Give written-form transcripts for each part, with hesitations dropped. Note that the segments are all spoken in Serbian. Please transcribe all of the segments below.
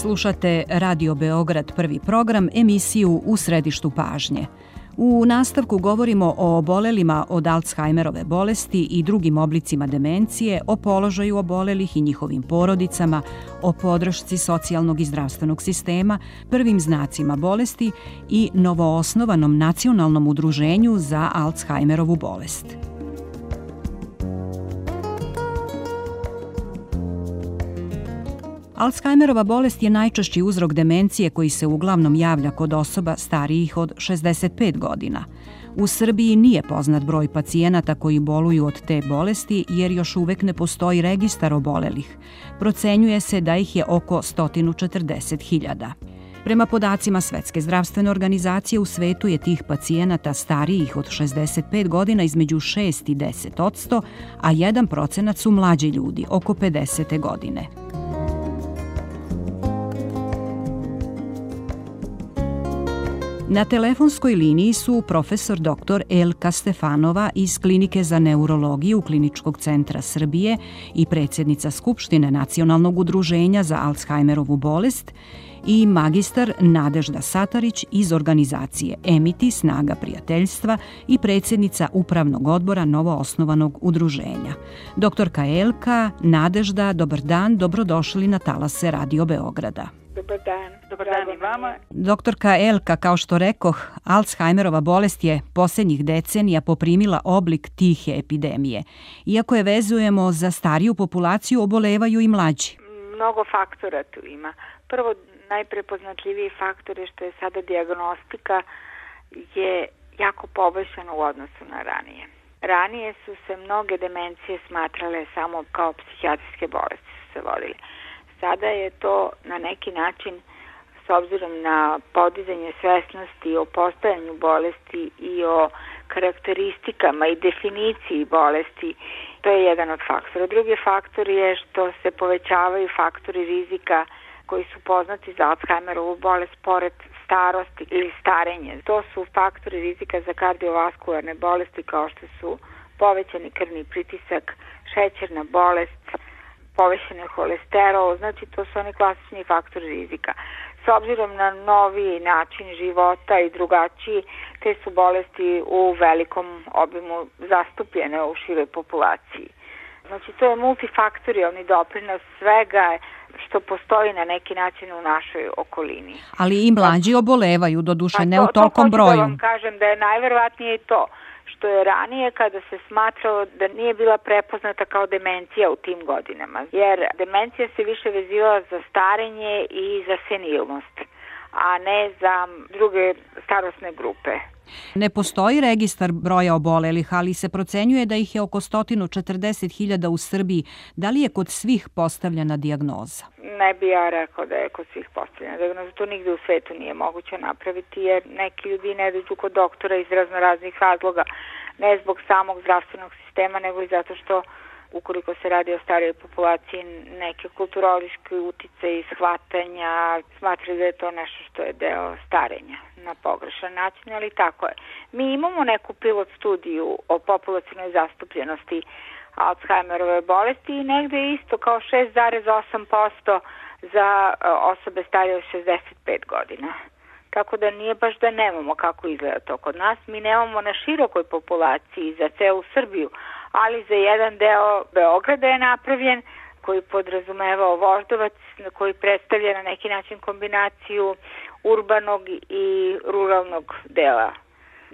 Slušate Radio Beograd prvi program, emisiju U središtu pažnje. U nastavku govorimo o obolelima od Alzheimerove bolesti i drugim oblicima demencije, o položaju obolelih i njihovim porodicama, o podršci socijalnog i zdravstvenog sistema, prvim znacima bolesti i novoosnovanom nacionalnom udruženju za Alzheimerovu bolest. Alzheimerova bolest je najčešći uzrok demencije koji se uglavnom javlja kod osoba starijih od 65 godina. U Srbiji nije poznat broj pacijenata koji boluju od te bolesti jer još uvek ne postoji registar obolelih. Procenjuje se da ih je oko 140.000. Prema podacima Svetske zdravstvene organizacije, u svetu je tih pacijenata starijih od 65 godina između 6 i 10%, a 1% su mlađi ljudi, oko 50. godine. Na telefonskoj liniji su profesor dr. Elka Stefanova iz Klinike za neurologiju Kliničkog centra Srbije i predsjednica Skupštine Nacionalnog udruženja za Alzheimerovu bolest i magistar Nadežda Satarić iz organizacije EMITI Snaga prijateljstva i predsjednica Upravnog odbora novoosnovanog udruženja. Doktorka Elka, Nadežda, dobar dan, dobrodošli na talase Radio Beograda. Dobar dan. Dobar dan i vama. Doktorka Elka, kao što rekoh, Alzheimerova bolest je posljednjih decenija poprimila oblik tihe epidemije. Iako je vezujemo za stariju populaciju, obolevaju i mlađi. Mnogo faktora tu ima. Prvo, najprepoznatljiviji faktor je što je sada dijagnostika je jako poboljšana u odnosu na ranije. Ranije su se mnoge demencije smatrale samo kao psihijatrijske bolesti su se vodili. Sada je to na neki način, s obzirom na podizanje svesnosti o postojanju bolesti i o karakteristikama i definiciji bolesti, to je jedan od faktora. Drugi faktor je što se povećavaju faktori rizika koji su poznati za Alzheimerovu bolest pored starosti ili starenje. To su faktori rizika za kardiovaskularne bolesti kao što su povećani krvni pritisak, šećerna bolest, povećani holesterol, znači to su oni klasični faktori rizika. S obzirom na novi način života i drugačiji, te su bolesti u velikom obimu zastupljene u široj populaciji. Znači to je multifaktorijalni doprinos svega što postoji na neki način u našoj okolini. Ali i mlađi obolevaju, doduše ne u tolkom broju. To vam kažem da je najverovatnije to što je ranije kada se smatralo da nije bila prepoznata kao demencija u tim godinama. Jer demencija se više vezivala za starenje i za senilnost, a ne za druge starosne grupe. Ne postoji registar broja obolelih, ali se procenjuje da ih je oko 140.000 u Srbiji. Da li je kod svih postavljena dijagnoza? Ne bi ja rekao da je kod svih postavljena dijagnoza. To nigde u svetu nije moguće napraviti, jer neki ljudi ne dođu kod doktora iz raznoraznih razloga, ne zbog samog zdravstvenog sistema, nego i zato što ukoliko se radi o starijoj populaciji, neke kulturološke utice i shvatanja smatraju da je to nešto što je deo starenja na pogrešan način, ali tako je. Mi imamo neku pilot studiju o populacionoj zastupljenosti Alzheimerove bolesti i negde isto kao 6,8% za osobe starije od 65 godina. Tako da nije baš da nemamo kako izgleda to kod nas. Mi nemamo na širokoj populaciji za celu Srbiju, ali za jedan deo Beograda je napravljen koji podrazumevao Voždovac, koji predstavlja na neki način kombinaciju urbanog i ruralnog dela.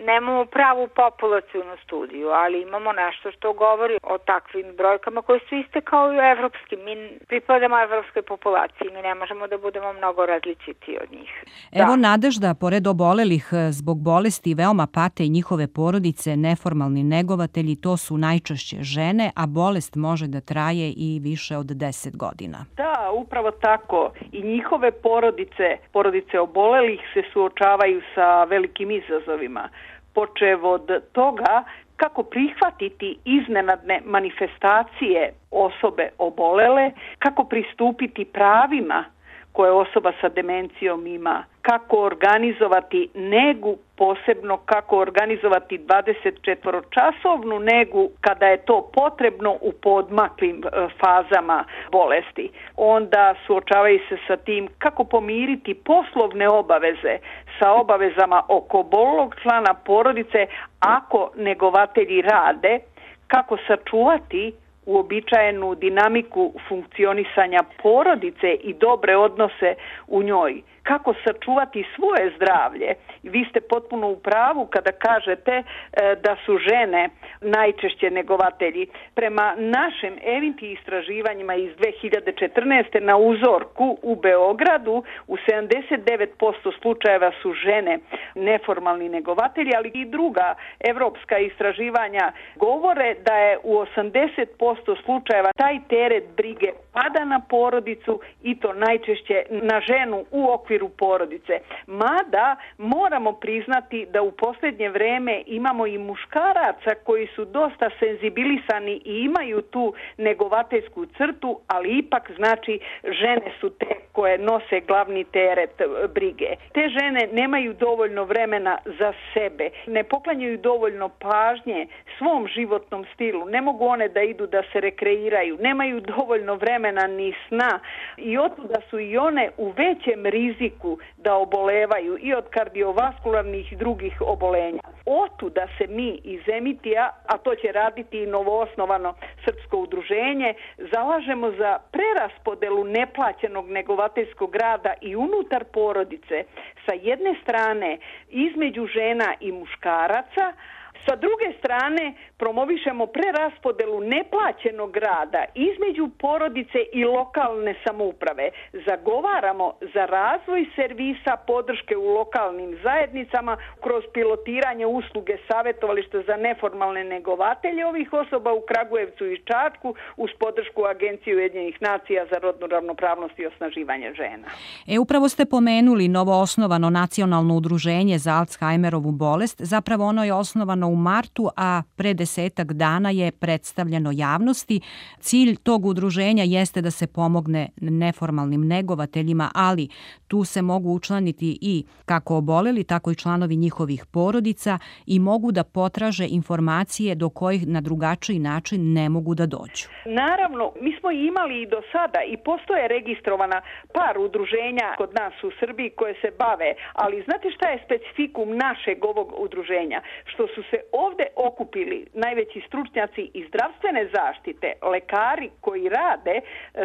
Nemamo pravu populacionu studiju, ali imamo nešto što govori o takvim brojkama koje su iste kao i u evropskim. Mi pripadamo evropskoj populaciji, mi ne možemo da budemo mnogo različiti od njih. Evo Nadežda, pored obolelih zbog bolesti veoma pate i njihove porodice, neformalni negovatelji, to su najčešće žene, a bolest može da traje i više od 10 godina. Da, upravo tako. I njihove porodice obolelih se suočavaju sa velikim izazovima. Počev od toga kako prihvatiti iznenadne manifestacije osobe obolele, kako pristupiti pravima koje osoba sa demencijom ima, kako organizovati negu, posebno kako organizovati 24-časovnu negu kada je to potrebno u poodmaklim fazama bolesti. Onda suočavaju se sa tim kako pomiriti poslovne obaveze sa obavezama oko obolelog člana porodice ako negovatelji rade, kako sačuvati uobičajenu dinamiku funkcionisanja porodice i dobre odnose u njoj, kako sačuvati svoje zdravlje. Vi ste potpuno u pravu kada kažete da su žene najčešće negovatelji. Prema našim EVINTI istraživanjima iz 2014. na uzorku u Beogradu u 79% slučajeva su žene neformalni negovatelji, ali i druga evropska istraživanja govore da je u 80% slučajeva taj teret brige pada na porodicu i to najčešće na ženu u okviru porodice. Mada moramo priznati da u posljednje vreme imamo i muškaraca koji su dosta senzibilisani i imaju tu negovateljsku crtu, ali ipak znači žene su te koje nose glavni teret brige. Te žene nemaju dovoljno vremena za sebe, ne poklanjaju dovoljno pažnje svom životnom stilu, ne mogu one da idu da se rekreiraju, nemaju dovoljno vremena ni sna i otuda su i one u većem riziku da obolevaju i od kardiovaskularnih i drugih obolenja. Otuda se mi iz EMITI-a, a to će raditi i novoosnovano srpsko udruženje, zalažemo za preraspodelu neplaćenog negovateljskog rada i unutar porodice sa jedne strane između žena i muškaraca, sa druge strane promovišemo preraspodelu neplaćenog rada između porodice i lokalne samouprave. Zagovaramo za razvoj servisa podrške u lokalnim zajednicama kroz pilotiranje usluge savjetovališta za neformalne negovatelje ovih osoba u Kragujevcu i Čačku uz podršku Agencije Ujedinjenih nacija za rodnu ravnopravnost i osnaživanje žena. Upravo ste pomenuli novoosnovano nacionalno udruženje za Alzheimerovu bolest. Zapravo ono je osnovano u martu, a pre 10 dana je predstavljeno javnosti. Cilj tog udruženja jeste da se pomogne neformalnim negovateljima, ali tu se mogu učlaniti i kako oboleli, tako i članovi njihovih porodica i mogu da potraže informacije do kojih na drugačiji način ne mogu da dođu. Naravno, mi smo imali i do sada i postoje registrovana par udruženja kod nas u Srbiji koje se bave, ali znate šta je specifikum našeg ovog udruženja? Što su se ovde okupili najveći stručnjaci iz zdravstvene zaštite, lekari koji rade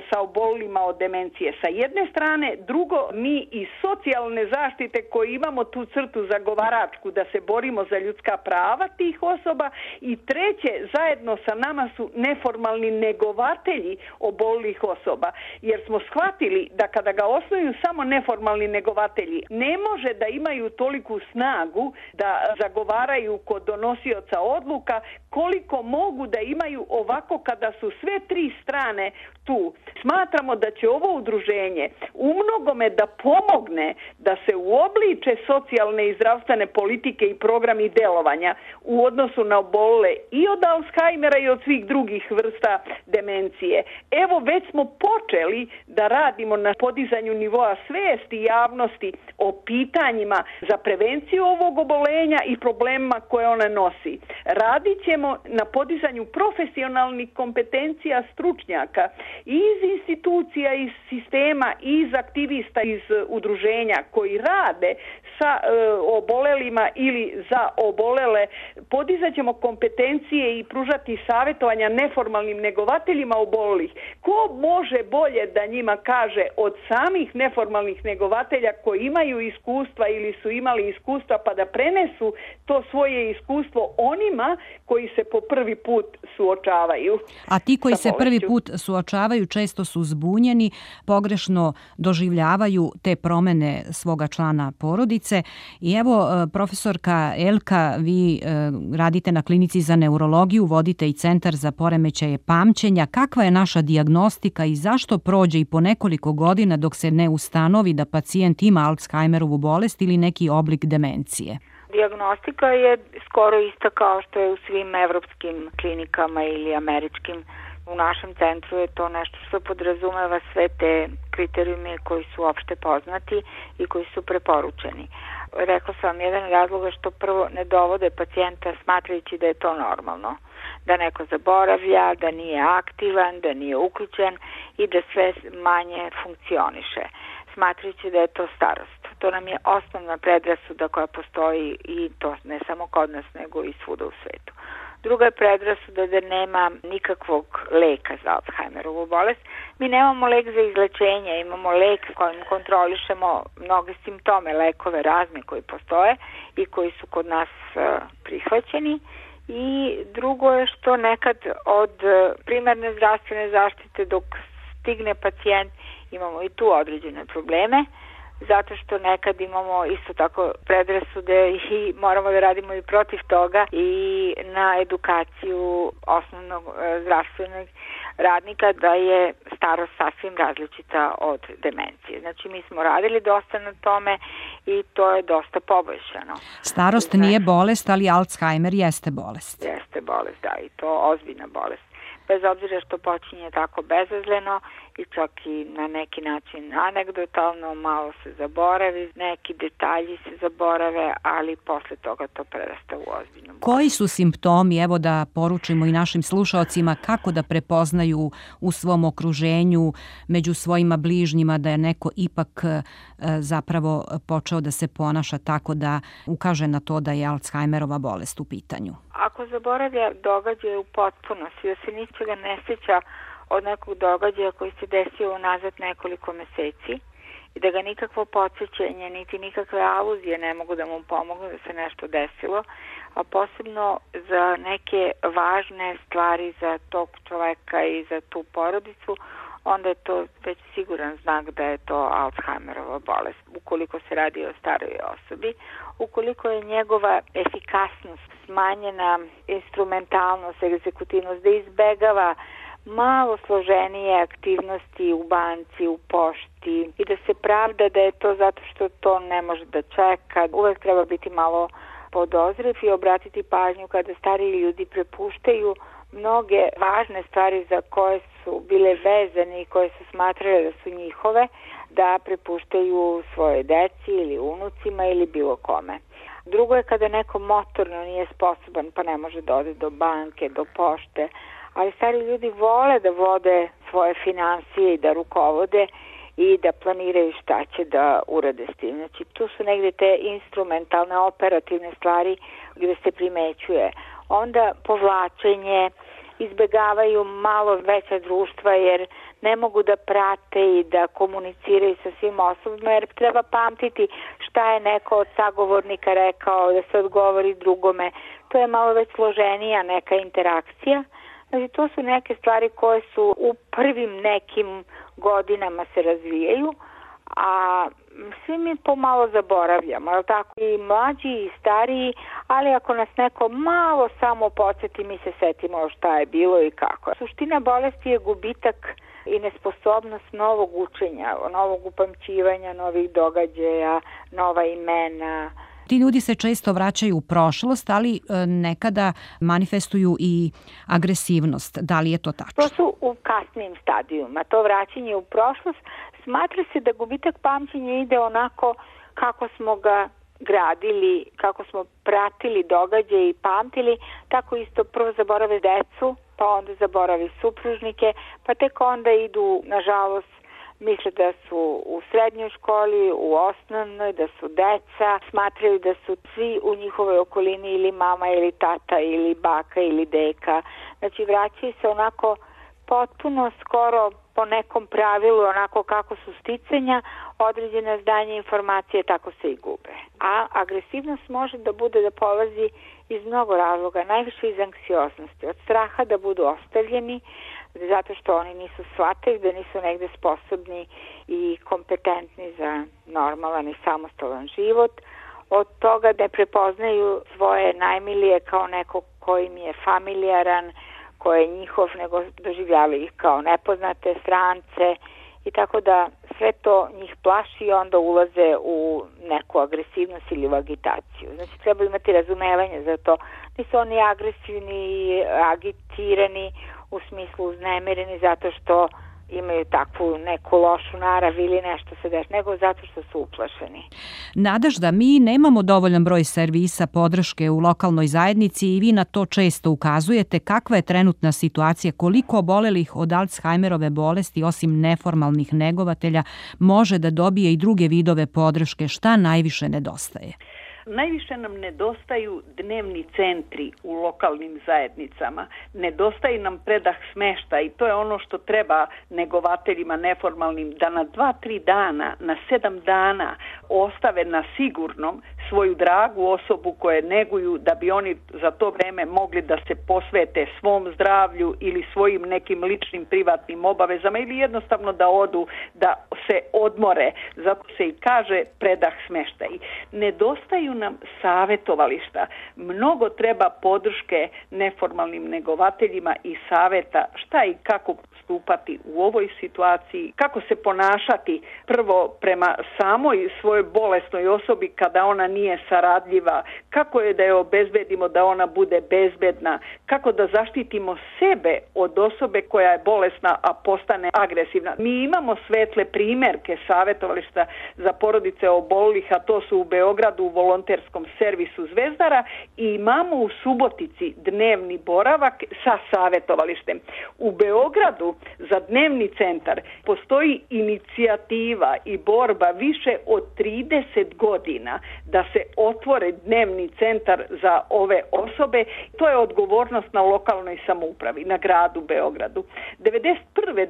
sa obolelima od demencije sa jedne strane, drugo mi iz socijalne zaštite koji imamo tu crtu zagovaračku da se borimo za ljudska prava tih osoba i treće, zajedno sa nama su neformalni negovatelji obolelih osoba, jer smo shvatili da kada ga osnuju samo neformalni negovatelji, ne može da imaju toliku snagu da zagovaraju kod donosioca odluka koliko mogu da imaju ovako kada su sve tri strane tu. Smatramo da će ovo udruženje u mnogome da pomogne da se uobliče socijalne i zdravstvene politike i programi delovanja u odnosu na obolele i od Alzheimera i od svih drugih vrsta demencije. Evo već smo počeli da radimo na podizanju nivoa svesti i javnosti o pitanjima za prevenciju ovog obolenja i problemima koje ona nosi. Radit ćemo na podizanju profesionalnih kompetencija stručnjaka iz institucija, iz sistema, iz aktivista, iz udruženja koji rade sa obolelima ili za obolele. Podizat ćemo kompetencije i pružati savjetovanja neformalnim negovateljima obolelih. Ko može bolje da njima kaže od samih neformalnih negovatelja koji imaju iskustva ili su imali iskustva pa da prenesu to svoje iskustvo onima koji se po prvi put suočavaju. A ti koji se prvi put suočavaju često su zbunjeni, pogrešno doživljavaju te promene svoga člana porodice. I evo, profesorka Elka, vi radite na klinici za neurologiju, vodite i centar za poremećaje pamćenja. Kakva je naša dijagnostika i zašto prođe i po nekoliko godina dok se ne ustanovi da pacijent ima Alzheimerovu bolest ili neki oblik demencije? Dijagnostika je skoro ista kao što je u svim evropskim klinikama ili američkim U našem centru je to nešto što podrazumeva sve te kriterijume koji su opšte poznati i koji su preporučeni. Rekla sam vam jedan razloga što prvo ne dovode pacijenta smatrajući da je to normalno, da neko zaboravlja, da nije aktivan, da nije uključen i da sve manje funkcioniše, smatrajući da je to starost. To nam je osnovna predrasuda koja postoji i to ne samo kod nas nego i svuda u svetu. Druga je predrasuda da nema nikakvog leka za Alzheimerovu bolest. Mi nemamo lek za izlečenje, imamo lek kojim kontrolišemo mnoge simptome, lekove razne koji postoje i koji su kod nas prihvaćeni. I drugo je što nekad od primarne zdravstvene zaštite dok stigne pacijent imamo i tu određene probleme, zato što nekad imamo isto tako predrasude i moramo da radimo i protiv toga i na edukaciju osnovnog zdravstvenog radnika da je starost sasvim različita od demencije. Znači mi smo radili dosta na tome i to je dosta poboljšano. Starost nije bolest, ali Alzheimer jeste bolest. Jeste bolest, da, i to ozbiljna bolest. Bez obzira što počinje tako bezazleno i čak i na neki način anegdotalno, malo se zaboravi, neki detalji se zaborave, ali posle toga to prerasta u ozbiljnu bolest. Koji su simptomi, evo da poručimo i našim slušaocima, kako da prepoznaju u svom okruženju, među svojima bližnjima, da je neko ipak zapravo počeo da se ponaša tako da ukaže na to da je Alzheimerova bolest u pitanju? Ako zaboravlja događaje u potpunosti, da se ničega ne sjeća od nekog događaja koji se desio unazad nekoliko meseci i da ga nikakvo podsjećenje, niti nikakve aluzije ne mogu da mu pomognu da se nešto desilo, a posebno za neke važne stvari za tog čoveka i za tu porodicu, onda je to već siguran znak da je to Alzheimerova bolest. Ukoliko se radi o staroj osobi, ukoliko je njegova efikasnost smanjena, instrumentalnost, egzekutivnost, da izbegava malo složenije aktivnosti u banci, u pošti i da se pravda da je to zato što to ne može da čeka. Uvek treba biti malo podozriv i obratiti pažnju kada stariji ljudi prepuštaju mnoge važne stvari za koje su bile vezane i koje su smatrale da su njihove, da prepuštaju svoje deci ili unucima ili bilo kome. Drugo je kada neko motorno nije sposoban pa ne može da ode do banke, do pošte, ali stari ljudi vole da vode svoje finansije i da rukovode i da planiraju šta će da urade s tim. Znači tu su negde te instrumentalne, operativne stvari gde se primećuje. Onda povlačenje, izbegavaju malo veća društva jer ne mogu da prate i da komuniciraju sa svim osobama jer treba pamtiti šta je neko od sagovornika rekao, da se odgovori drugome. To je malo već složenija neka interakcija. Znači to su neke stvari koje su u prvim nekim godinama se razvijaju, a svi mi pomalo zaboravljamo, ali tako i mlađi i stariji, ali ako nas neko malo samo podsjeti, mi se setimo šta je bilo i kako. Suština bolesti je gubitak i nesposobnost novog učenja, novog upamćivanja, novih događaja, nova imena. Ti ljudi se često vraćaju u prošlost, ali nekada manifestuju i agresivnost. Da li je to tačno? To su u kasnim stadijuma. To vraćanje u prošlost smatra se da gubitak pamćenja ide onako kako smo ga gradili, kako smo pratili događaje i pamtili, tako isto prvo zaborave decu, pa onda zaboravi supružnike, pa tek onda idu, nažalost, misle da su u srednjoj školi, u osnovnoj, da su deca, smatraju da su svi u njihovoj okolini ili mama ili tata ili baka ili deka. Znači vraćaju se onako potpuno skoro po nekom pravilu, onako kako su sticanja, određena znanja, informacije, tako se i gube. A agresivnost može da bude da polazi iz mnogo razloga, najviše iz anksioznosti, od straha da budu ostavljeni, zato što oni nisu shvatili da nisu negde sposobni i kompetentni za normalan i samostalan život, od toga da prepoznaju svoje najmilije kao neko koji im je familijaran, ko je njihov, nego doživljavaju ih kao nepoznate strance i tako da sve to njih plaši i onda ulaze u neku agresivnost ili u agitaciju. Znači treba imati razumevanje za to. Nisu oni agresivni i agitirani u smislu uznemireni zato što imaju takvu neku lošu narav ili nešto se dešava, nego zato što su uplašeni. Nadežda, mi nemamo dovoljan broj servisa podrške u lokalnoj zajednici i vi na to često ukazujete. Kakva je trenutna situacija? Koliko obolelih od Alzheimerove bolesti, osim neformalnih negovatelja, može da dobije i druge vidove podrške? Šta najviše nedostaje? Najviše nam nedostaju dnevni centri u lokalnim zajednicama. Nedostaje nam predah smeštaja i to je ono što treba negovateljima neformalnim, da na 2-3 dana, na 7 dana ostave na sigurnom svoju dragu osobu koje neguju, da bi oni za to vreme mogli da se posvete svom zdravlju ili svojim nekim ličnim privatnim obavezama ili jednostavno da odu, da se odmore. Zato se i kaže predah smeštaj. Nedostaju nam savetovališta. Mnogo treba podrške neformalnim negovateljima i saveta šta i kako postupati u ovoj situaciji, kako se ponašati prvo prema samoj svojoj bolesnoj osobi kada ona nije saradljiva, kako je da je obezbedimo da ona bude bezbedna, kako da zaštitimo sebe od osobe koja je bolesna a postane agresivna. Mi imamo svetle primerke savetovališta za porodice obolelih, a to su u Beogradu u volonterskom servisu Zvezdara i imamo u Subotici dnevni boravak sa savetovalištem. U Beogradu za dnevni centar postoji inicijativa i borba više od 30 godina da se otvore dnevni centar za ove osobe. To je odgovornost na lokalnoj samoupravi, na gradu Beogradu. 91.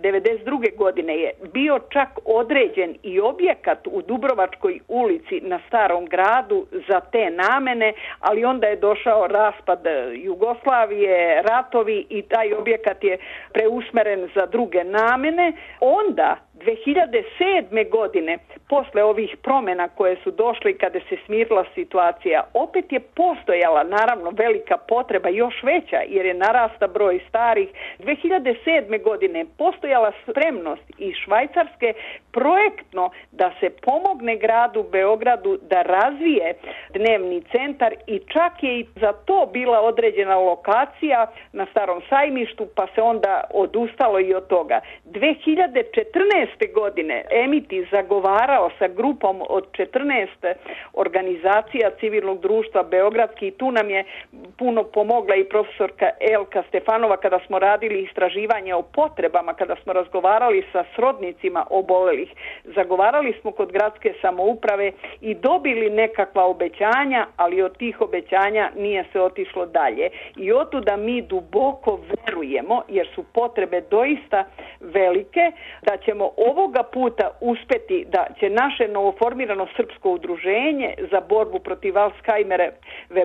92. godine je bio čak određen i objekat u Dubrovačkoj ulici na Starom gradu za te namene, ali onda je došao raspad Jugoslavije, ratovi i taj objekat je preusmeren za druge namene. Onda 2007. godine, posle ovih promjena koje su došle kada se smirila situacija, opet je postojala naravno velika potreba, još veća jer je narasta broj starih. 2007. godine postojala spremnost i Švajcarske projektno da se pomogne gradu Beogradu da razvije dnevni centar i čak je i za to bila određena lokacija na Starom sajmištu, pa se onda odustalo i od toga. 2014. godine Emiti zagovarao sa grupom od 14 organizacija civilnog društva beogradski i tu nam je puno pomogla i profesorka Elka Stefanova kada smo radili istraživanje o potrebama, kada smo razgovarali sa srodnicima obolelih. Zagovarali smo kod gradske samouprave i dobili nekakva obećanja, ali od tih obećanja nije se otišlo dalje. I otuda mi duboko verujemo, jer su potrebe doista velike, da ćemo ovoga puta uspeti da će naše novoformirano srpsko udruženje za borbu protiv Alzheimerove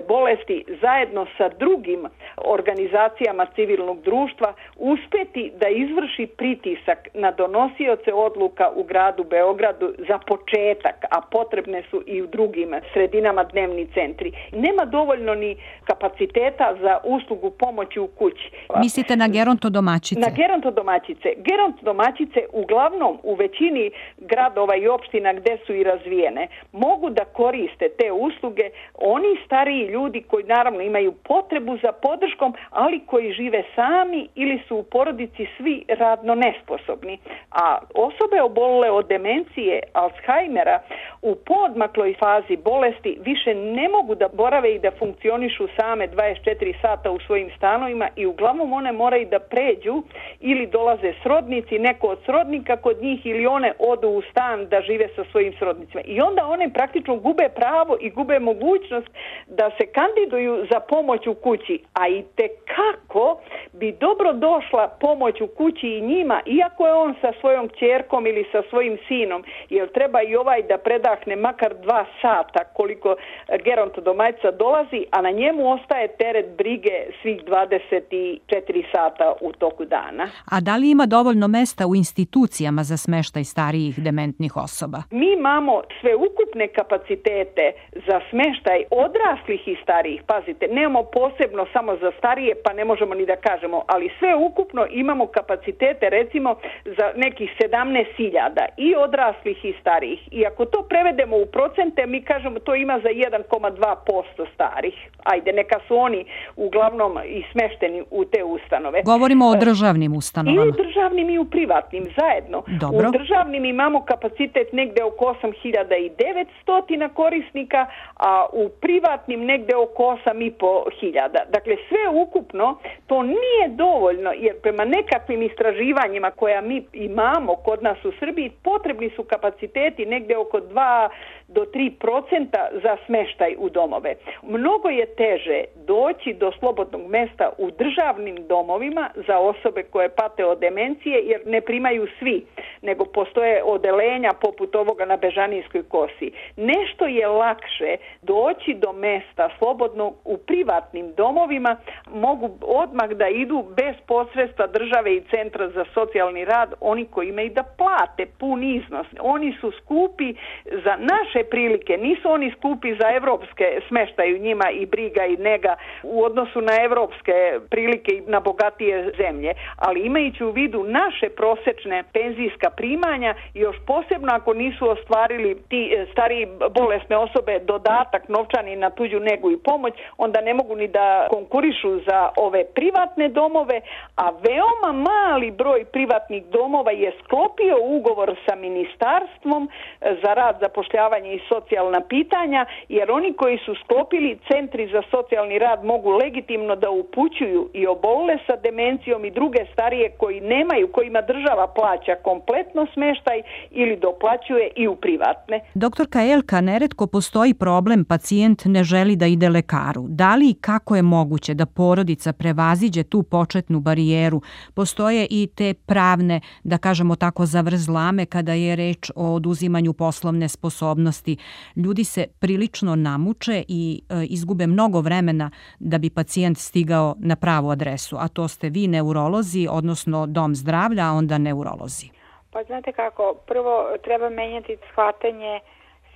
bolesti zajedno sa drugim organizacijama civilnog društva uspeti da izvrši pritisak na donosioce odluka u gradu Beogradu za početak, a potrebne su i u drugim sredinama dnevni centri. Nema dovoljno ni kapaciteta za uslugu pomoći u kući. Mislite na gerontodomaćice? Na gerontodomaćice. Gerontodomaćice uglavnom u većini gradova i opština gde su i razvijene mogu da koriste te usluge oni stariji ljudi koji naravno imaju potrebu za podrškom, ali koji žive sami ili su u porodici svi radno nesposobni. A osobe obolele od demencije, Alzheimera, u poodmakloj fazi bolesti više ne mogu da borave i da funkcionišu same 24 sata u svojim stanovima i uglavnom one moraju da pređu ili dolaze srodnici, neko od srodnika kod njih ili one odu u stan da žive sa svojim srodnicima. I onda one praktično gube pravo i gube mogućnost da se kandiduju za pomoć u kući. A i tekako bi dobro došla pomoć u kući i njima, iako je on sa svojom kćerkom ili sa svojim sinom, jer treba i ovaj da predahne makar 2 sata koliko gerontodomaćica dolazi, a na njemu ostaje teret brige svih 24 sata u toku dana. A da li ima dovoljno mesta u institucijama jedinicama za smeštaj starijih dementnih osoba? Mi imamo sve ukupne kapacitete za smeštaj odraslih i starijih. Pazite, nemamo posebno samo za starije, pa ne možemo ni da kažemo, ali sve ukupno imamo kapacitete recimo za nekih 17.000 i odraslih i starijih. I ako to prevedemo u procente, mi kažemo to ima za 1,2% starih. Ajde, neka su oni uglavnom i smešteni u te ustanove. Govorimo o državnim ustanovama. I u državnim i u privatnim zajedno. Dobro. U državnim imamo kapacitet negde oko 8.900 korisnika, a u privatnim negde oko 8.500. Dakle, sve ukupno to nije dovoljno, jer prema nekakvim istraživanjima koja mi imamo kod nas u Srbiji, potrebni su kapaciteti negde oko 2 do 3% za smeštaj u domove. Mnogo je teže doći do slobodnog mesta u državnim domovima za osobe koje pate od demencije, jer ne primaju svi, nego postoje odelenja poput ovoga na Bežanijskoj kosi. Nešto je lakše doći do mesta slobodno u privatnim domovima, mogu odmah da idu bez posredstva države i centra za socijalni rad, oni koji imaju da plate pun iznos. Oni su skupi za naše prilike, nisu oni skupi za evropske, smeštaju njima i briga i nega u odnosu na evropske prilike i na bogatije zemlje, ali imajući u vidu naše prosečne penzijska primanja, još posebno ako nisu ostvarili ti stariji bolesne osobe dodatak novčani na tuđu negu i pomoć, onda ne mogu ni da konkurišu za ove privatne domove, a veoma mali broj privatnih domova je sklopio ugovor sa ministarstvom za rad, zapošljavanje i socijalna pitanja, jer oni koji su sklopili centri za socijalni rad mogu legitimno da upućuju i obolele sa demencijom i druge starije koji nemaju, kojima država plaća kompletno smeštaj ili doplaćuje i u privatne. Doktorka Elka, neretko postoji problem, pacijent ne želi da ide lekaru. Da li i kako je moguće da porodica prevaziđe tu početnu barijeru? Postoje i te pravne, da kažemo tako, zavrzlame kada je reč o oduzimanju poslovne sposobnosti. Ljudi se prilično namuče i izgube mnogo vremena da bi pacijent stigao na pravu adresu, a to ste vi neurolozi, odnosno dom zdravlja, a onda neurolozi. Pa znate kako, prvo treba menjati shvatanje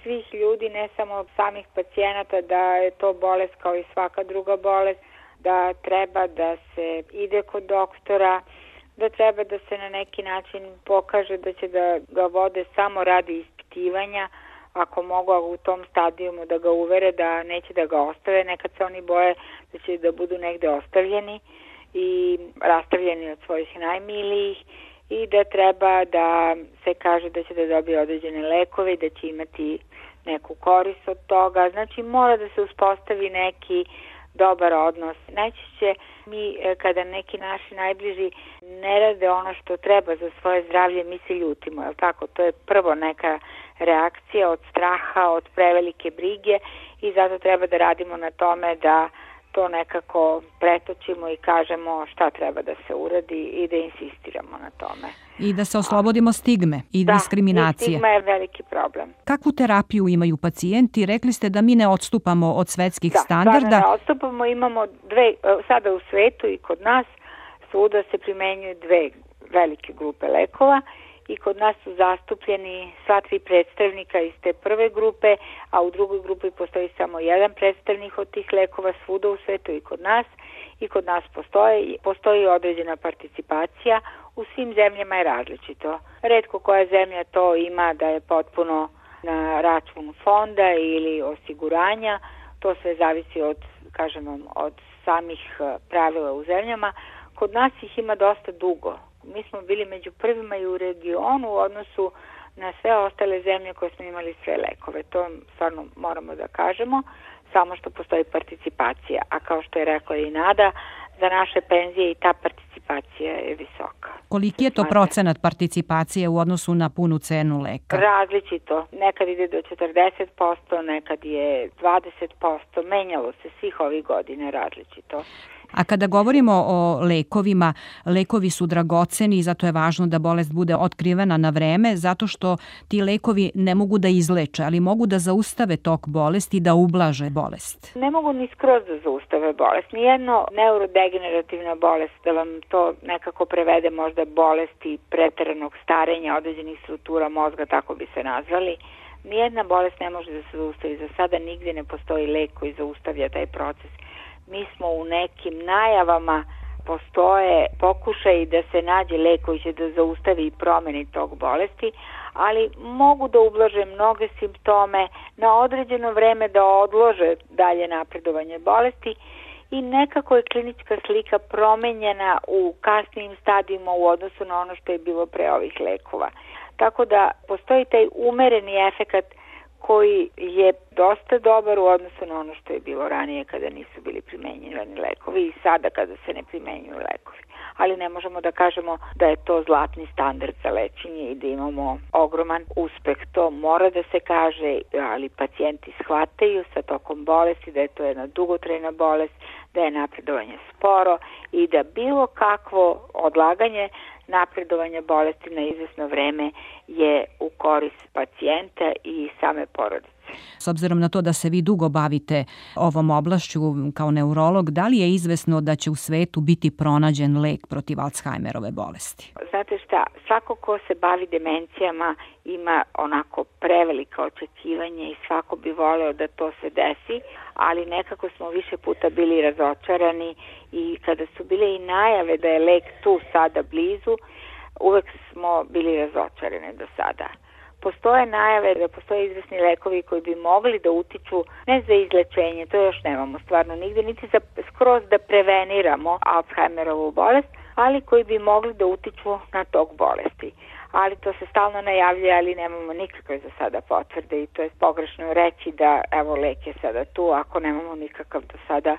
svih ljudi, ne samo samih pacijenata, da je to bolest kao i svaka druga bolest, da treba da se ide kod doktora, da treba da se na neki način pokaže da će da ga vode samo radi ispitivanja, ako mogu u tom stadijumu da ga uvere da neće da ga ostave, nekad se oni boje da će da budu negde ostavljeni i rastavljeni od svojih najmilijih, i da treba da se kaže da će da dobije određene lekove i da će imati neku korist od toga. Znači mora da se uspostavi neki dobar odnos. Najčešće mi kada neki naši najbliži ne rade ono što treba za svoje zdravlje, mi se ljutimo, je li tako? To je prvo neka reakcija od straha, od prevelike brige, i zato treba da radimo na tome da to nekako pretočimo i kažemo šta treba da se uradi i da insistiramo na tome. I da se oslobodimo stigme i diskriminacije. Da, i stigma je veliki problem. Kakvu terapiju imaju pacijenti? Rekli ste da mi ne odstupamo od svetskih standarda. Da, ne odstupamo, imamo dve, sada u svetu i kod nas, svuda se primenjuju dve velike grupe lekova, i kod nas su zastupljeni sva tri predstavnika iz te prve grupe, a u drugoj grupi postoji samo jedan predstavnik od tih lekova svuda u svetu i kod nas. I kod nas postoji određena participacija, u svim zemljama je različito. Retko koja zemlja to ima da je potpuno na račun fonda ili osiguranja, to sve zavisi od, kažem vam, od samih pravila u zemljama. Kod nas ih ima dosta dugo. Mi smo bili među prvima i u regionu u odnosu na sve ostale zemlje koje smo imali sve lekove. To stvarno moramo da kažemo, samo što postoji participacija. A kao što je rekla i Nada, za naše penzije i ta participacija je visoka. Koliki je to procenat participacije u odnosu na punu cenu leka? Različito. Nekad ide do 40%, nekad je 20%. Menjalo se svih ovih godina različito. A kada govorimo o lekovima, lekovi su dragoceni i zato je važno da bolest bude otkrivena na vreme, zato što ti lekovi ne mogu da izleče, ali mogu da zaustave tok bolesti i da ublaže bolest. Ne mogu ni skroz da zaustave bolest. Nijedno neurodegenerativna bolest, da vam to nekako prevede možda bolesti preteranog starenja određenih struktura mozga, tako bi se nazvali, nijedna bolest ne može da se zaustavi. Za sada nigde ne postoji lek koji zaustavlja taj proces. Mi smo u nekim najavama, postoje pokušaji da se nađe lek koji će da zaustavi i promeni tog bolesti, ali mogu da ublaže mnoge simptome, na određeno vreme da odlože dalje napredovanje bolesti i nekako je klinička slika promenjena u kasnijim stadijima u odnosu na ono što je bilo pre ovih lekova. Tako da postoji taj umereni efekat koji je dosta dobar u odnosu na ono što je bilo ranije kada nisu bili primenjivani lekovi i sada kada se ne primenjuju lekovi. Ali ne možemo da kažemo da je to zlatni standard za lečenje i da imamo ogroman uspeh. To mora da se kaže, ali pacijenti shvataju sa tokom bolesti da je to jedna dugotrajna bolest, da je napredovanje sporo i da bilo kakvo odlaganje napredovanja bolesti na izvesno vreme je u korist pacijenta i same porodice. S obzirom na to da se vi dugo bavite ovom oblašću kao neurolog, da li je izvesno da će u svetu biti pronađen lek protiv Alzheimerove bolesti? Znate šta, svako ko se bavi demencijama ima onako prevelika očekivanja i svako bi voleo da to se desi, ali nekako smo više puta bili razočarani i kada su bile i najave da je lek tu sada blizu, uvek smo bili razočarani do sada. Postoje najave da postoje izvesni lekovi koji bi mogli da utiču ne za izlečenje, to još nemamo stvarno nigde, niti za skroz da preveniramo Alzheimerovu bolest, ali koji bi mogli da utiču na tok bolesti. Ali to se stalno najavlja, ali nemamo nikakve za sada potvrde i to je pogrešno reći da evo lek je sada tu ako nemamo nikakav do sada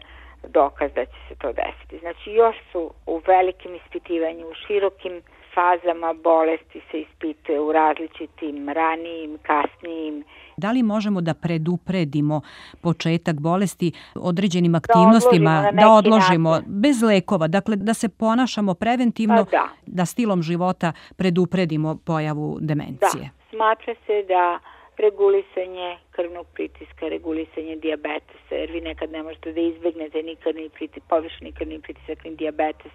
dokaz da će se to desiti. Znači još su u velikim ispitivanju, u širokim fazama bolesti se ispituje u različitim ranijim, kasnijim. Da li možemo da predupredimo početak bolesti određenim aktivnostima, da odložimo bez lekova, dakle da se ponašamo preventivno, da stilom života predupredimo pojavu demencije? Da, smatra se da regulisanje krvnog pritiska, regulisanje dijabetesa, jer vi nekad ne možete da izbegnete ni krvni pritisak, povišeni krvni pritisak, ni dijabetes,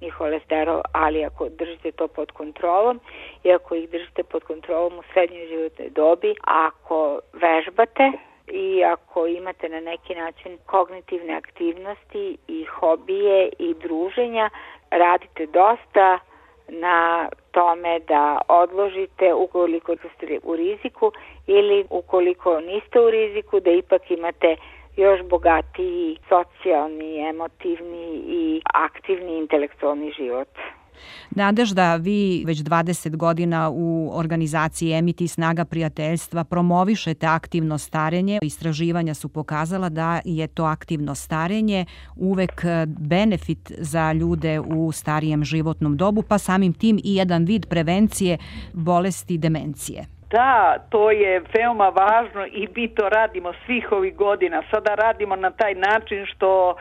ni holesterol, ali ako držite to pod kontrolom i ako ih držite pod kontrolom u srednjoj životnoj dobi, ako vežbate i ako imate na neki način kognitivne aktivnosti i hobije i druženja, radite dosta na tome da odložite ukoliko ste u riziku ili ukoliko niste u riziku da ipak imate još bogatiji socijalni, emotivni i aktivni intelektualni život. Nadežda, vi već 20 godina u organizaciji Emiti Snaga prijateljstva promovišete aktivno starenje. Istraživanja su pokazala da je to aktivno starenje uvek benefit za ljude u starijem životnom dobu, pa samim tim i jedan vid prevencije bolesti demencije. Da, to je veoma važno i mi to radimo svih ovih godina. Sada radimo na taj način što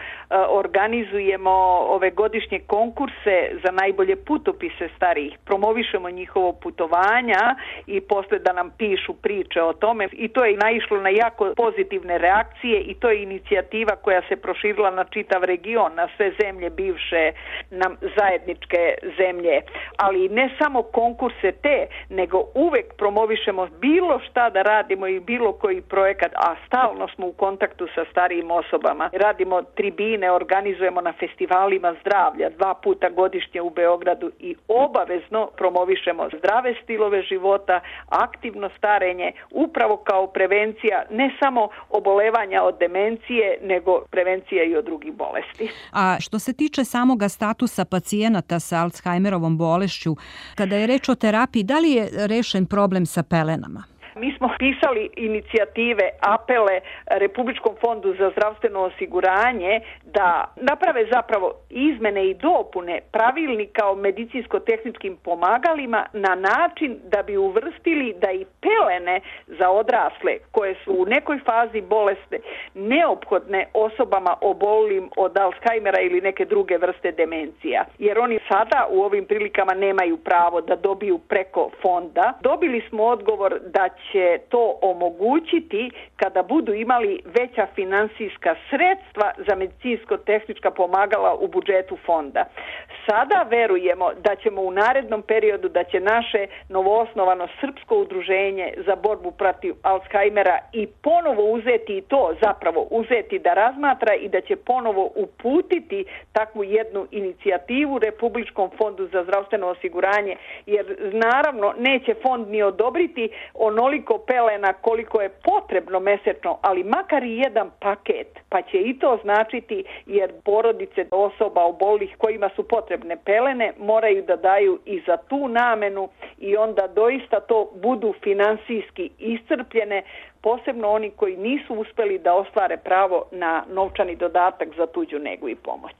organizujemo ove godišnje konkurse za najbolje putopise starijih. Promovišemo njihovo putovanja i posle da nam pišu priče o tome i to je naišlo na jako pozitivne reakcije i to je inicijativa koja se proširila na čitav region, na sve zemlje bivše, na zajedničke zemlje. Ali ne samo konkurse te, nego uvek promovišemo bilo šta da radimo i bilo koji projekat, a stalno smo u kontaktu sa starijim osobama. Radimo tribine, organizujemo na festivalima zdravlja 2 puta godišnje u Beogradu i obavezno promovišemo zdrave stilove života, aktivno starenje, upravo kao prevencija ne samo obolevanja od demencije, nego prevencija i od drugih bolesti. A što se tiče samoga statusa pacijenata sa Alzheimerovom bolešću, kada je reč o terapiji, da li je rešen problem sa pelenama? Mi smo pisali inicijative, apele Republičkom fondu za zdravstveno osiguranje da naprave zapravo izmene i dopune pravilnika o medicinsko-tehničkim pomagalima na način da bi uvrstili da i pelene za odrasle koje su u nekoj fazi bolesne neophodne osobama obolim od Alzheimera ili neke druge vrste demencija. Jer oni sada u ovim prilikama nemaju pravo da dobiju preko fonda. Dobili smo odgovor da će to omogućiti kada budu imali veća finansijska sredstva za medicinsko-tehnička pomagala u budžetu fonda. Sada verujemo da ćemo u narednom periodu, da će naše novoosnovano srpsko udruženje za borbu protiv Alzheimera i ponovo uzeti to, zapravo uzeti da razmatra i da će ponovo uputiti takvu jednu inicijativu Republičkom fondu za zdravstveno osiguranje, jer naravno neće fond ni odobriti onoliko pelena koliko je potrebno mesečno, ali makar i jedan paket, pa će i to značiti, jer porodice osoba obolih kojima su potrebne pelene moraju da daju i za tu namenu i onda doista to budu finansijski iscrpljene, posebno oni koji nisu uspeli da ostvare pravo na novčani dodatak za tuđu negu i pomoć.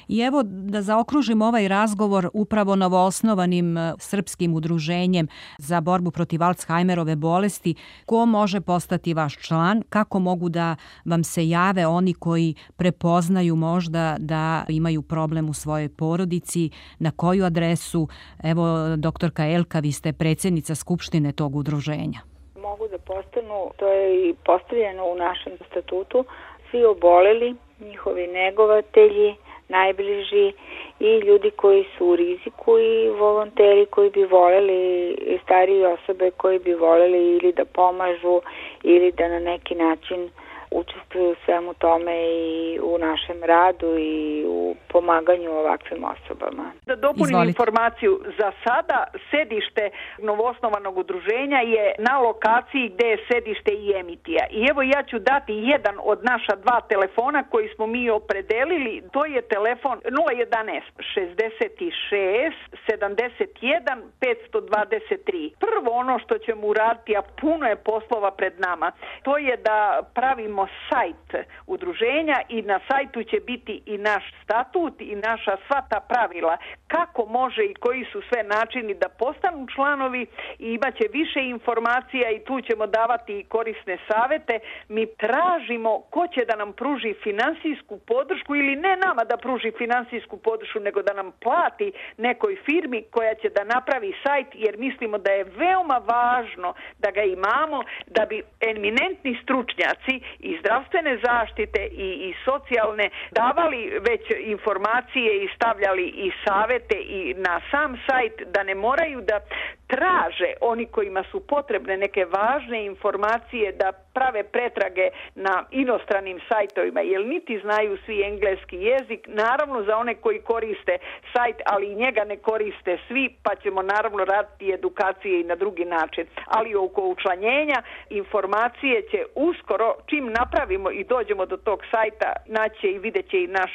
I evo da zaokružim ovaj razgovor upravo novoosnovanim srpskim udruženjem za borbu protiv Alzheimerove bolesti. Ko može postati vaš član? Kako mogu da vam se jave oni koji prepoznaju možda da imaju problem u svojoj porodici? Na koju adresu? Evo, doktorka Elka, vi ste predsjednica skupštine tog udruženja. Mogu da postanu, to je i postavljeno u našem statutu, svi oboleli, njihovi negovatelji, najbliži i ljudi koji su u riziku i volonteri koji bi voljeli, starije osobe koji bi voljeli ili da pomažu ili da na neki način učestvuju u svemu tome i u našem radu i u pomaganju ovakvim osobama. Da dopunim informaciju, za sada sedište novoosnovanog udruženja je na lokaciji gde je sedište i Emitija. I evo ja ću dati jedan od naša dva telefona koji smo mi opredelili. To je telefon 011 66 71 523. Prvo ono što ćemo uraditi, a puno je poslova pred nama, to je da pravimo sajt udruženja i na sajtu će biti i naš statut i naša sva ta pravila kako može i koji su sve načini da postanu članovi i imaće više informacija i tu ćemo davati i korisne savete. Mi tražimo ko će da nam pruži finansijsku podršku ili ne nama da pruži finansijsku podršku, nego da nam plati nekoj firmi koja će da napravi sajt, jer mislimo da je veoma važno da ga imamo da bi eminentni stručnjaci i zdravstvene zaštite i socijalne davali već informacije i stavljali i savete i na sam sajt, da ne moraju da traže oni kojima su potrebne neke važne informacije da prave pretrage na inostranim sajtovima, jer niti znaju svi engleski jezik, naravno za one koji koriste sajt, ali i njega ne koriste svi, pa ćemo naravno raditi edukacije i na drugi način. Ali oko učlanjenja informacije će uskoro, čim napravimo i dođemo do tog sajta, naći i vidjet će i naš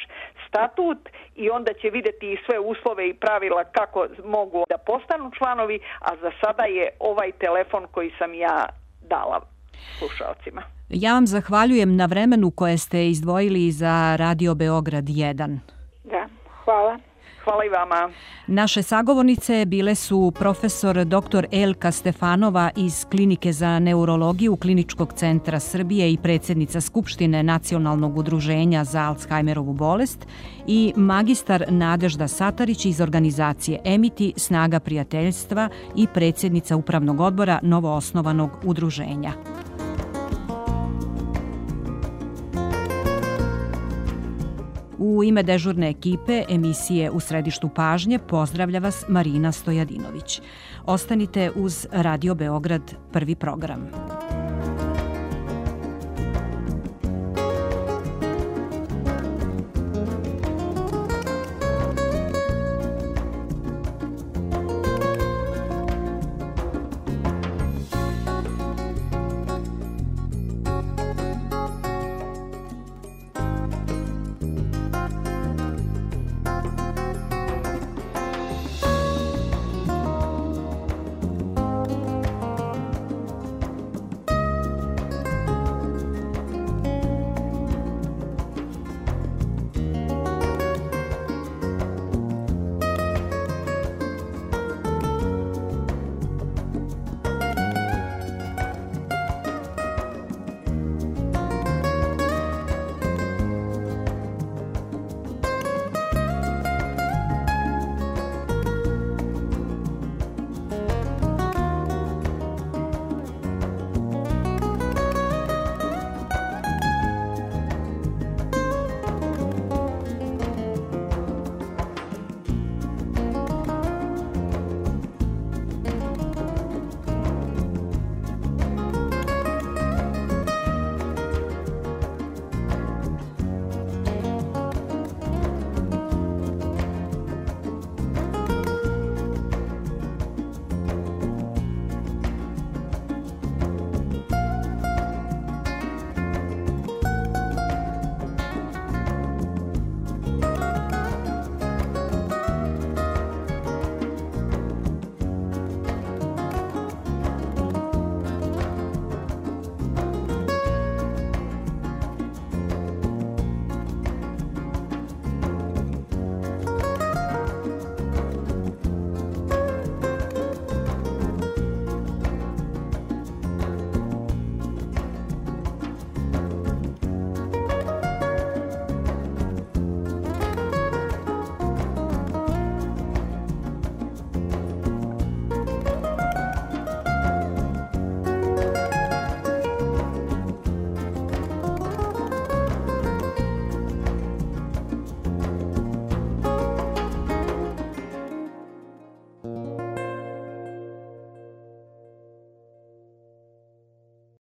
statut i onda će vidjeti i sve uslove i pravila kako mogu da postanu članovi, a za sada je ovaj telefon koji sam ja dala slušalcima. Ja vam zahvaljujem na vremenu koje ste izdvojili za Radio Beograd 1. Da, hvala. Hvala i vama. Naše sagovornice bile su profesor dr. Elka Stefanova iz Klinike za neurologiju Kliničkog centra Srbije i predsjednica Skupštine Nacionalnog udruženja za Alzheimerovu bolest i magistar Nadežda Satarić iz organizacije Emiti Snaga prijateljstva i predsjednica Upravnog odbora novoosnovanog udruženja. U ime dežurne ekipe emisije U središtu pažnje pozdravlja vas Marina Stojadinović. Ostanite uz Radio Beograd, prvi program.